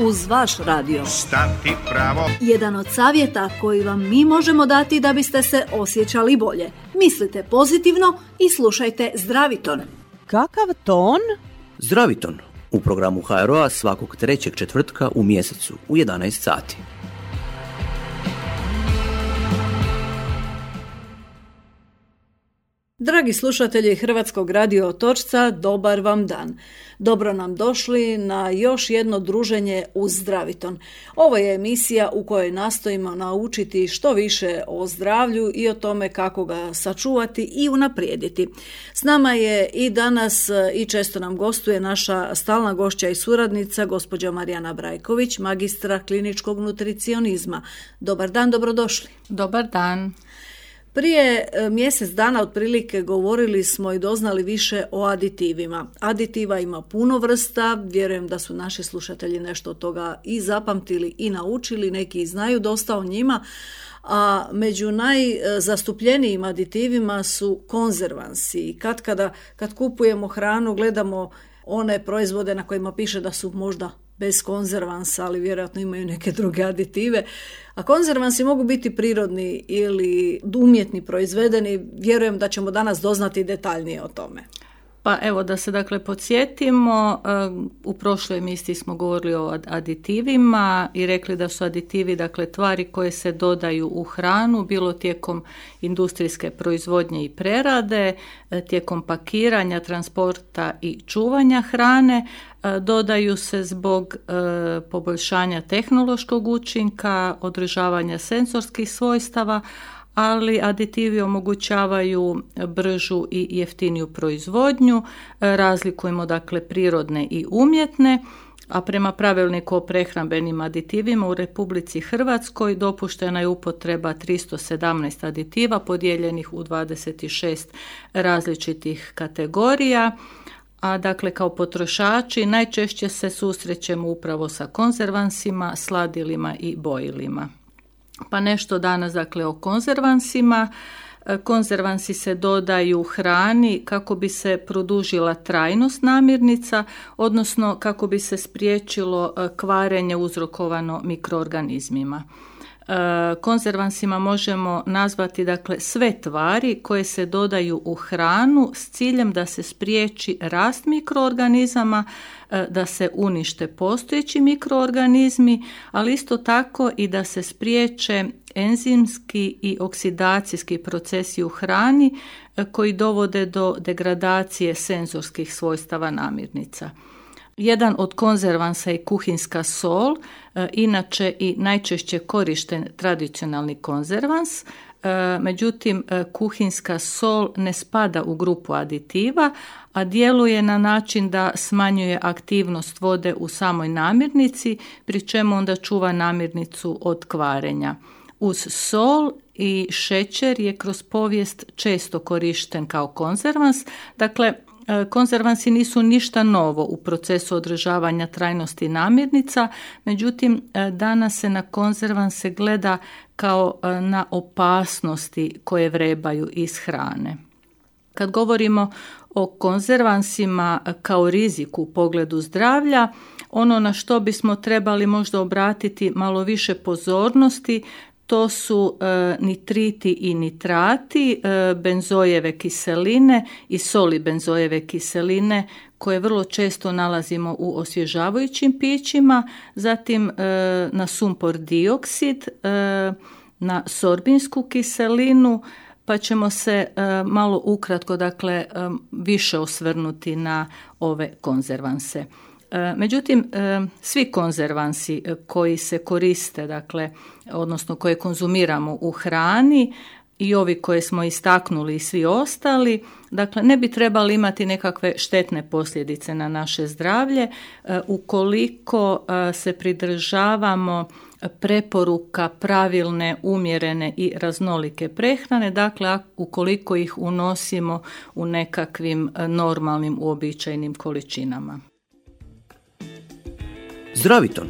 uz vaš radio. Stati pravo. Jedan od savjeta koji vam mi možemo dati da biste se osjećali bolje. Mislite pozitivno i slušajte Zdraviton. Kakav ton? Zdraviton u programu HRO-a svakog trećeg četvrtka u mjesecu u 11 sati. Dragi slušatelji Hrvatskog radio Otočca, dobar vam dan. Dobro nam došli na još jedno druženje uz Zdraviton. Ovo je emisija u kojoj nastojimo naučiti što više o zdravlju i o tome kako ga sačuvati i unaprijediti. S nama je i danas i često nam gostuje naša stalna gošća i suradnica, gospođa Marijana Brajković, magistra kliničkog nutricionizma. Dobar dan, dobrodošli. Dobar dan. Prije mjesec dana otprilike govorili smo i doznali više o aditivima. Aditiva ima puno vrsta, vjerujem da su naši slušatelji nešto od toga i zapamtili i naučili, neki znaju dosta o njima, a među najzastupljenijim aditivima su konzervansi. Kad kupujemo hranu gledamo one proizvode na kojima piše da su možda bez konzervansa, ali vjerojatno imaju neke druge aditive. A konzervansi mogu biti prirodni ili umjetni proizvedeni. Vjerujem da ćemo danas doznati detaljnije o tome. Pa evo da se dakle podsjetimo, u prošloj emisiji smo govorili o aditivima i rekli da su aditivi dakle tvari koje se dodaju u hranu, bilo tijekom industrijske proizvodnje i prerade, tijekom pakiranja, transporta i čuvanja hrane, dodaju se zbog poboljšanja tehnološkog učinka, održavanja senzorskih svojstava, ali aditivi omogućavaju bržu i jeftiniju proizvodnju, razlikujemo dakle prirodne i umjetne, a prema pravilniku o prehrambenim aditivima u Republici Hrvatskoj dopuštena je upotreba 317 aditiva podijeljenih u 26 različitih kategorija, a dakle kao potrošači najčešće se susrećemo upravo sa konzervansima, sladilima i bojilima. Pa nešto danas dakle o konzervansima. Konzervansi se dodaju hrani kako bi se produžila trajnost namirnica, odnosno kako bi se spriječilo kvarenje uzrokovano mikroorganizmima. Konzervansima možemo nazvati dakle sve tvari koje se dodaju u hranu s ciljem da se spriječi rast mikroorganizama, da se unište postojeći mikroorganizmi, ali isto tako i da se spriječe enzimski i oksidacijski procesi u hrani koji dovode do degradacije senzorskih svojstava namirnica. Jedan od konzervansa je kuhinska sol, inače i najčešće korišten tradicionalni konzervans. Međutim, kuhinska sol ne spada u grupu aditiva, a djeluje na način da smanjuje aktivnost vode u samoj namirnici, pri čemu onda čuva namirnicu od kvarenja. Uz sol i šećer je kroz povijest često korišten kao konzervans, dakle konzervansi nisu ništa novo u procesu održavanja trajnosti namirnica, međutim danas se na konzervanse gleda kao na opasnosti koje vrebaju iz hrane. Kad govorimo o konzervansima kao riziku u pogledu zdravlja, ono na što bismo trebali možda obratiti malo više pozornosti, to su nitriti i nitrati, benzojeve kiseline i soli benzojeve kiseline koje vrlo često nalazimo u osvježavajućim pićima, zatim na sumpor dioksid, na sorbinsku kiselinu, pa ćemo se malo ukratko dakle više osvrnuti na ove konzervanse. Međutim, svi konzervansi koji se koriste, dakle, odnosno koje konzumiramo u hrani i ovi koje smo istaknuli i svi ostali, dakle, ne bi trebali imati nekakve štetne posljedice na naše zdravlje ukoliko se pridržavamo preporuka pravilne, umjerene i raznolike prehrane, dakle, ukoliko ih unosimo u nekakvim normalnim, uobičajenim količinama. Zdraviton.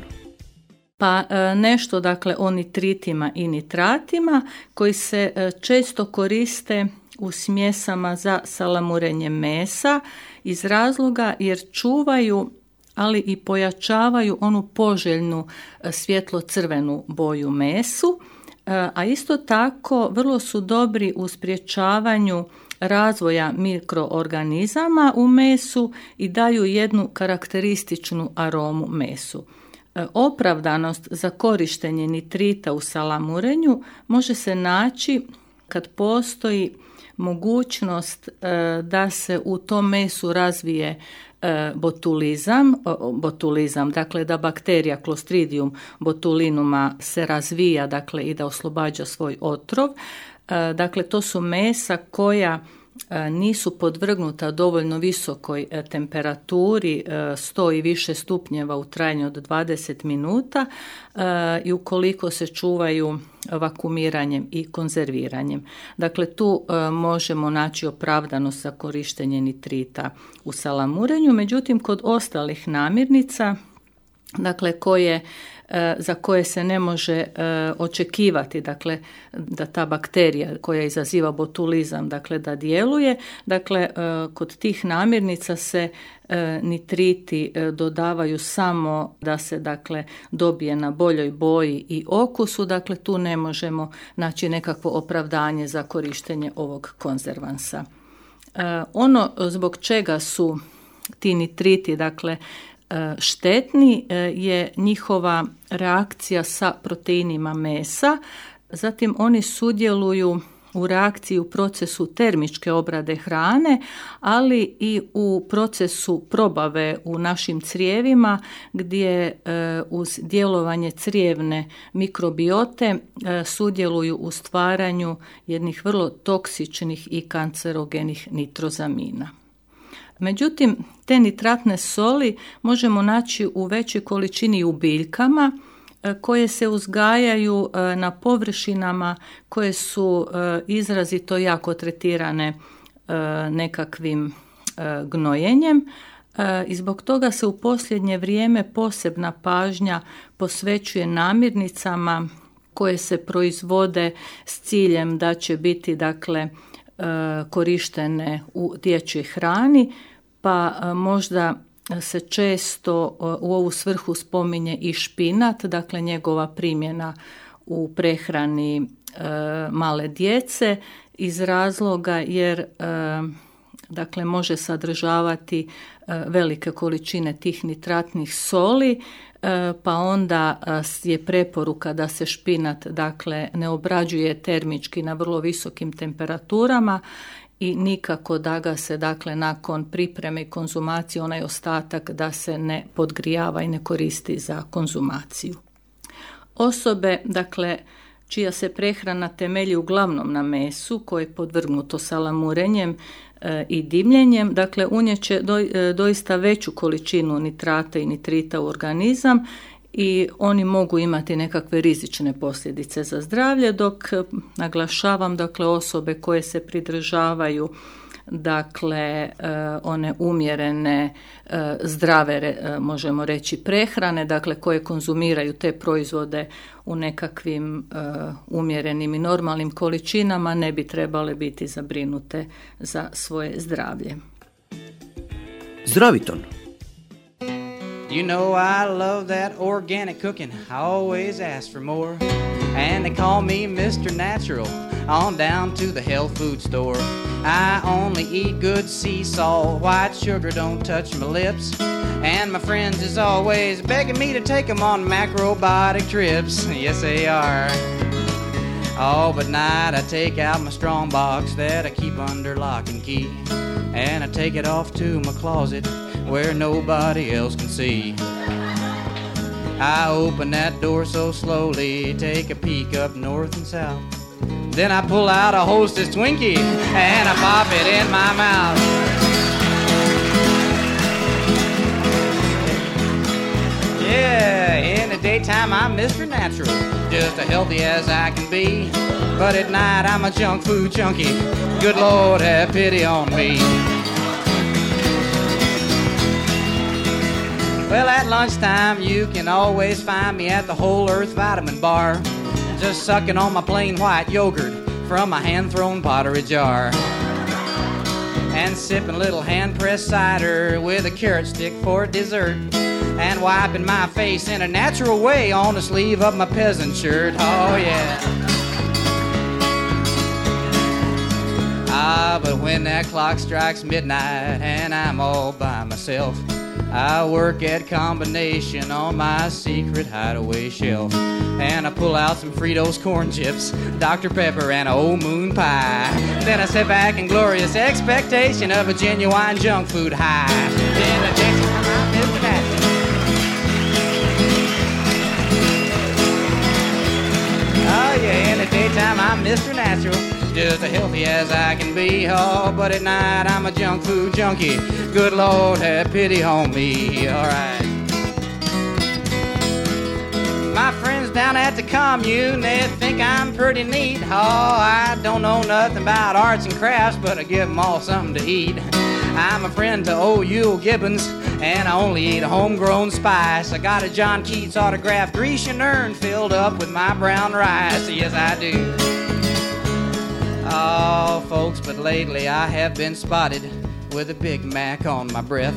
Pa nešto dakle o nitritima i nitratima koji se često koriste u smjesama za salamurenje mesa iz razloga jer čuvaju ali i pojačavaju onu poželjnu svjetlo-crvenu boju mesu, a isto tako vrlo su dobri u sprječavanju razvoja mikroorganizama u mesu i daju jednu karakterističnu aromu mesu. Opravdanost za korištenje nitrita u salamurenju može se naći kad postoji mogućnost da se u tom mesu razvije botulizam, dakle da bakterija Clostridium botulinuma se razvija, dakle i da oslobađa svoj otrov. Dakle, to su mesa koja nisu podvrgnuta dovoljno visokoj temperaturi, 100 i više stupnjeva u trajanju od 20 minuta i ukoliko se čuvaju vakuumiranjem i konzerviranjem. Dakle, tu možemo naći opravdanost za korištenje nitrita u salamurenju, međutim kod ostalih namirnica, dakle za koje se ne može očekivati, dakle da ta bakterija koja izaziva botulizam, dakle da djeluje, dakle kod tih namirnica se nitriti dodavaju samo da se dakle dobije na boljoj boji i okusu, dakle tu ne možemo naći nekakvo opravdanje za korištenje ovog konzervansa. Ono zbog čega su ti nitriti dakle štetni je njihova reakcija sa proteinima mesa, zatim oni sudjeluju u reakciji u procesu termičke obrade hrane, ali i u procesu probave u našim crijevima gdje uz djelovanje crijevne mikrobiote sudjeluju u stvaranju jednih vrlo toksičnih i kancerogenih nitrozamina. Međutim, te nitratne soli možemo naći u većoj količini u biljkama koje se uzgajaju na površinama koje su izrazito jako tretirane nekakvim gnojenjem i zbog toga se u posljednje vrijeme posebna pažnja posvećuje namirnicama koje se proizvode s ciljem da će biti dakle korištene u dječjoj hrani, pa možda se često u ovu svrhu spominje i špinat, dakle njegova primjena u prehrani male djece iz razloga jer dakle može sadržavati velike količine tih nitratnih soli, pa onda je preporuka da se špinat dakle ne obrađuje termički na vrlo visokim temperaturama i nikako da ga se dakle nakon pripreme i konzumacije onaj ostatak da se ne podgrijava i ne koristi za konzumaciju. Osobe dakle čija se prehrana temelji uglavnom na mesu koje je podvrgnuto salamurenjem i dimljenjem, dakle unijeće doista veću količinu nitrata i nitrita u organizam i oni mogu imati nekakve rizične posljedice za zdravlje, dok naglašavam dakle osobe koje se pridržavaju dakle one umjerene zdrave možemo reći prehrane, dakle koje konzumiraju te proizvode u nekakvim umjerenim i normalnim količinama ne bi trebale biti zabrinute za svoje zdravlje. Zdraviton. You know I love that organic cooking, I always ask for more, and they call me Mr. Natural, on down to the health food store. I only eat good sea salt, white sugar don't touch my lips, and my friends is always begging me to take them on macrobiotic trips, yes they are. Oh, but night I take out my strong box that I keep under lock and key, and I take it off to my closet where nobody else can see. I open that door so slowly, take a peek up north and south. Then I pull out a Hostess Twinkie and I pop it in my mouth. Yeah, in the daytime I'm Mr. Natural, just as healthy as I can be. But at night I'm a junk food junkie, good Lord have pity on me. Well, at lunchtime you can always find me at the Whole Earth Vitamin Bar, just sucking on my plain white yogurt from my hand-thrown pottery jar, and sipping a little hand-pressed cider with a carrot stick for dessert. and wiping my face in a natural way on the sleeve of my peasant shirt. Oh yeah. But when that clock strikes midnight and I'm all by myself, I work at combination on my secret hideaway shelf. And I pull out some Fritos corn chips, Dr. Pepper, and an old moon pie. Then I sit back in glorious expectation of a genuine junk food high. In the daytime, I'm Mr. Natural. Oh yeah, in the daytime, I'm Mr. Natural. Just as healthy as I can be, oh, but at night I'm a junk food junkie. Good Lord, have pity on me, alright. My friends down at the commune, they think I'm pretty neat. Oh, I don't know nothing about arts and crafts, but I give them all something to eat. I'm a friend to old Yule Gibbons, and I only eat homegrown spice. I got a John Keats autographed Grecian urn filled up with my brown rice. Yes, I do. Oh, folks, but lately I have been spotted with a Big Mac on my breath,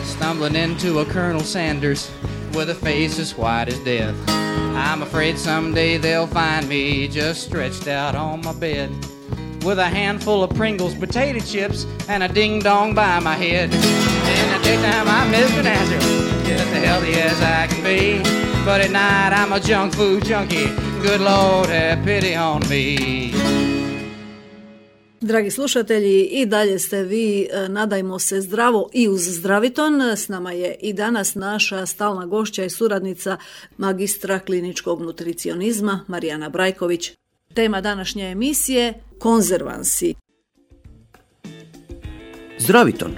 stumbling into a Colonel Sanders with a face as white as death. I'm afraid someday they'll find me just stretched out on my bed with a handful of Pringles potato chips and a ding-dong by my head. In the daytime I'm Mr. Natural, just as healthy as I can be, but at night I'm a junk food junkie. Good Lord, have pity on me. Dragi slušatelji, i dalje ste vi, nadajmo se, zdravo i uz Zdraviton. S nama je i danas naša stalna gošća i suradnica magistra kliničkog nutricionizma Marijana Brajković. Tema današnje emisije – konzervansi. Zdraviton.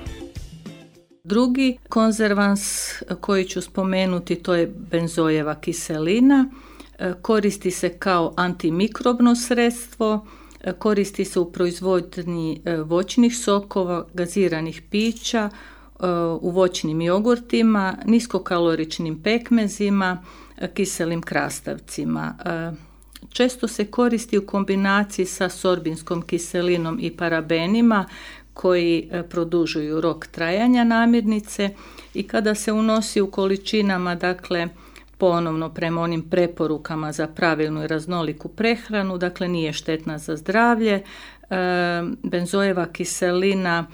Drugi konzervans koji ću spomenuti, to je benzojeva kiselina. Koristi se kao antimikrobno sredstvo, koristi se u proizvodnji voćnih sokova, gaziranih pića, u voćnim jogurtima, niskokaloričnim pekmezima, kiselim krastavcima. Često se koristi u kombinaciji sa sorbinskom kiselinom i parabenima koji produžuju rok trajanja namirnice i kada se unosi u količinama, dakle, ponovno prema onim preporukama za pravilnu i raznoliku prehranu, dakle nije štetna za zdravlje. Benzojeva kiselina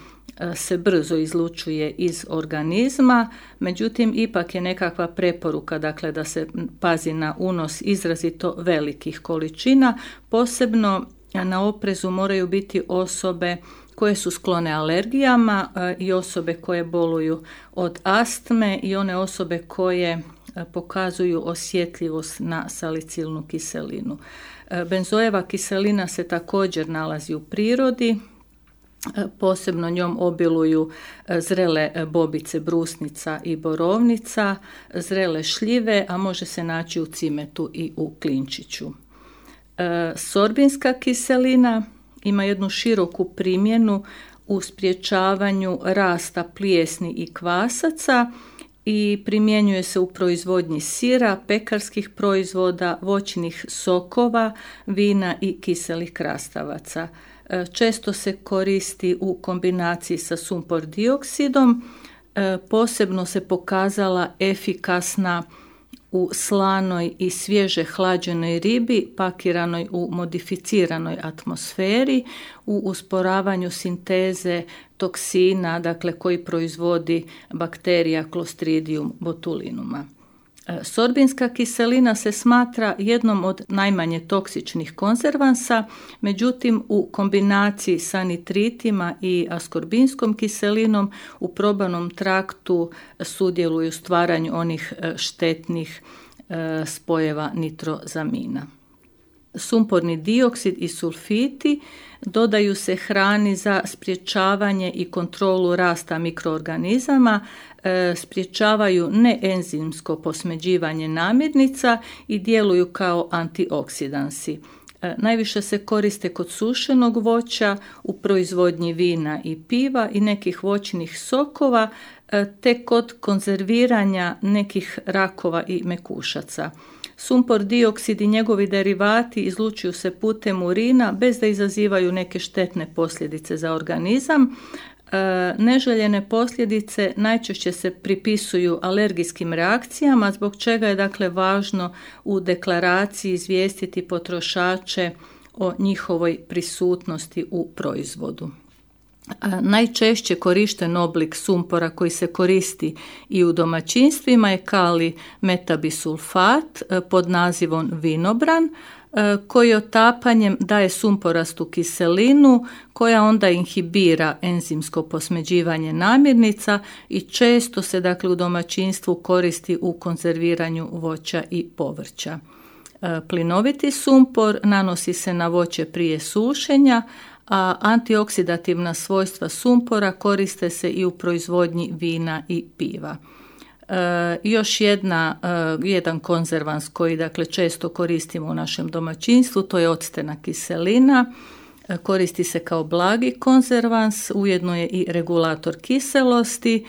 se brzo izlučuje iz organizma, međutim ipak je nekakva preporuka, dakle, da se pazi na unos izrazito velikih količina. Posebno na oprezu moraju biti osobe koje su sklone alergijama i osobe koje boluju od astme i one osobe koje pokazuju osjetljivost na salicilnu kiselinu. Benzojeva kiselina se također nalazi u prirodi, posebno njom obiluju zrele bobice brusnica i borovnica, zrele šljive, a može se naći u cimetu i u klinčiću. Sorbinska kiselina ima jednu široku primjenu u sprječavanju rasta plijesni i kvasaca i primjenjuje se u proizvodnji sira, pekarskih proizvoda, voćnih sokova, vina i kiselih krastavaca. Često se koristi u kombinaciji sa sumpor dioksidom, posebno se pokazala efikasna u slanoj i svježe hlađenoj ribi pakiranoj u modificiranoj atmosferi, u usporavanju sinteze toksina, dakle koji proizvodi bakterija Clostridium botulinuma. Sorbinska kiselina se smatra jednom od najmanje toksičnih konzervansa, međutim u kombinaciji sa nitritima i askorbinskom kiselinom u probavnom traktu sudjeluju u stvaranju onih štetnih spojeva nitrozamina. Sumporni dioksid i sulfiti dodaju se hrani za sprječavanje i kontrolu rasta mikroorganizama, sprječavaju neenzimsko posmeđivanje namirnica i djeluju kao antioksidansi. Najviše se koriste kod sušenog voća, u proizvodnji vina i piva i nekih voćnih sokova, te kod konzerviranja nekih rakova i mekušaca. Sumpor dioksid i njegovi derivati izlučuju se putem urina bez da izazivaju neke štetne posljedice za organizam. Neželjene posljedice najčešće se pripisuju alergijskim reakcijama, zbog čega je dakle važno u deklaraciji izvijestiti potrošače o njihovoj prisutnosti u proizvodu. Najčešće korišten oblik sumpora koji se koristi i u domaćinstvima je kalij metabisulfat pod nazivom vinobran, koji otapanjem daje sumporastu kiselinu koja onda inhibira enzimsko posmeđivanje namirnica i često se dakle u domaćinstvu koristi u konzerviranju voća i povrća. Plinoviti sumpor nanosi se na voće prije sušenja, a antioksidativna svojstva sumpora koriste se i u proizvodnji vina i piva. Još jedan konzervans koji dakle često koristimo u našem domaćinstvu, to je octena kiselina. Koristi se kao blagi konzervans, ujedno je i regulator kiselosti,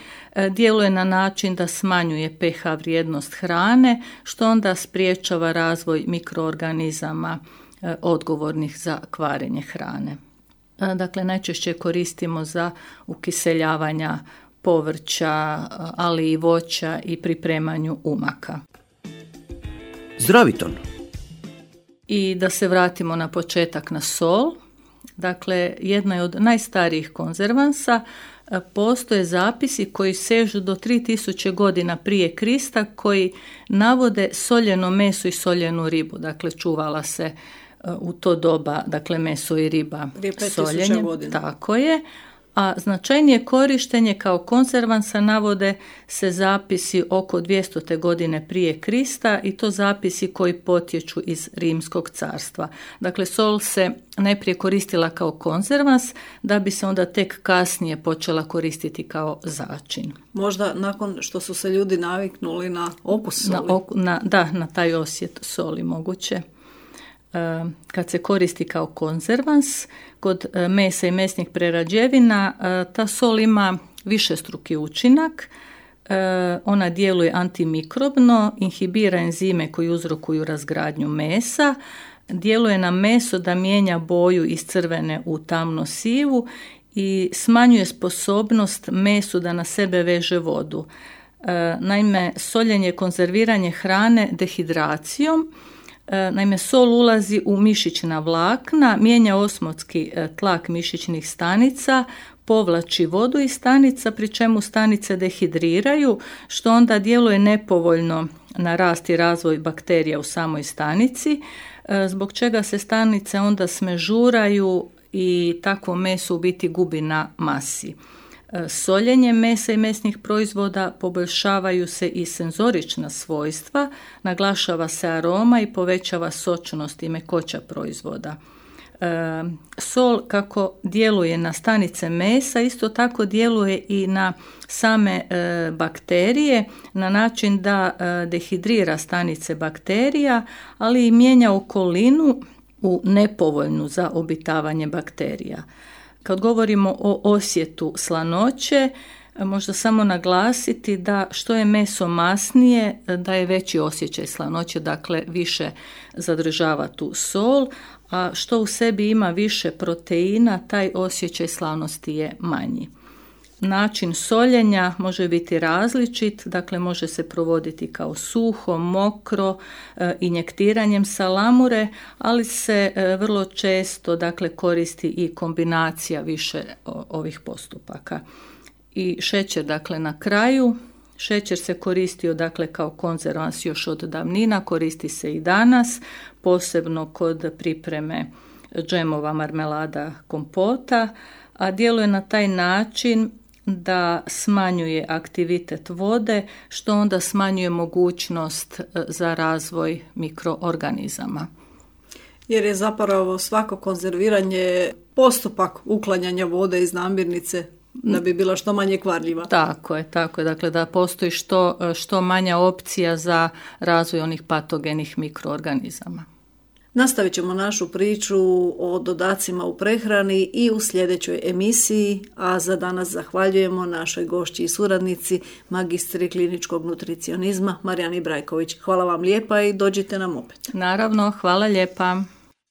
djeluje na način da smanjuje pH vrijednost hrane, što onda spriječava razvoj mikroorganizama odgovornih za kvarenje hrane. Dakle, najčešće koristimo za ukiseljavanja povrća, ali i voća i pripremanju umaka. Zdraviton. I da se vratimo na početak na sol. Dakle, jedna je od najstarijih konzervansa. Postoje zapisi koji sežu do 3000 godina prije Krista koji navode soljeno meso i soljenu ribu. Dakle, čuvala se u to doba, dakle, meso i riba soljenjem. Tako je. A značajnije korištenje kao konzervansa navode se zapisi oko 200. godine prije Krista i to zapisi koji potječu iz Rimskog carstva. Dakle, sol se najprije koristila kao konzervans, da bi se onda tek kasnije počela koristiti kao začin. Možda nakon što su se ljudi naviknuli na okus soli. Na taj osjet soli moguće. Kad se koristi kao konzervans, kod mesa i mesnih prerađevina, ta sol ima višestruki učinak. Ona djeluje antimikrobno, inhibira enzime koji uzrokuju razgradnju mesa, djeluje na meso da mijenja boju iz crvene u tamno sivu i smanjuje sposobnost mesu da na sebe veže vodu. Naime, soljenje je konzerviranje hrane dehidracijom. Naime, sol ulazi u mišićna vlakna, mijenja osmotski tlak mišićnih stanica, povlači vodu iz stanica, pri čemu stanice dehidriraju, što onda djeluje nepovoljno na rast i razvoj bakterija u samoj stanici, zbog čega se stanice onda smežuraju i takvo meso u biti gubi na masi. Soljenjem mesa i mesnih proizvoda poboljšavaju se i senzorična svojstva, naglašava se aroma i povećava sočnost i mekoća proizvoda. Sol kako djeluje na stanice mesa, isto tako djeluje i na same bakterije na način da dehidrira stanice bakterija, ali i mijenja okolinu u nepovoljnu za obitavanje bakterija. Kad govorimo o osjetu slanoće, možda samo naglasiti da što je meso masnije, da je veći osjećaj slanoće, dakle više zadržava tu sol, a što u sebi ima više proteina, taj osjećaj slanosti je manji. Način soljenja može biti različit, dakle može se provoditi kao suho, mokro, injektiranjem salamure, ali se vrlo često dakle koristi i kombinacija više ovih postupaka. I šećer dakle na kraju. Šećer se koristio dakle kao konzervans još od davnina, koristi se i danas, posebno kod pripreme džemova, marmelada, kompota, a djeluje na taj način da smanjuje aktivitet vode, što onda smanjuje mogućnost za razvoj mikroorganizama. Jer je zapravo svako konzerviranje postupak uklanjanja vode iz namirnice da bi bila što manje kvarljiva. Tako je. Dakle, da postoji što manja opcija za razvoj onih patogenih mikroorganizama. Nastavit ćemo našu priču o dodacima u prehrani i u sljedećoj emisiji, a za danas zahvaljujemo našoj gošći i suradnici, magistri kliničkog nutricionizma Marijani Brajković. Hvala vam lijepa i dođite nam opet. Naravno, hvala lijepa.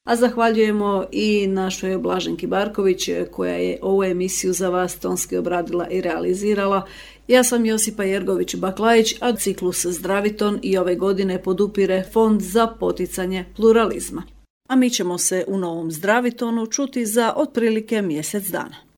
A zahvaljujemo i našoj Blaženki Barković koja je ovu emisiju za vas tonski obradila i realizirala. Ja sam Josipa Jergović-Baklajić, a ciklus Zdraviton i ove godine podupire Fond za poticanje pluralizma. A mi ćemo se u novom Zdravitonu čuti za otprilike mjesec dana.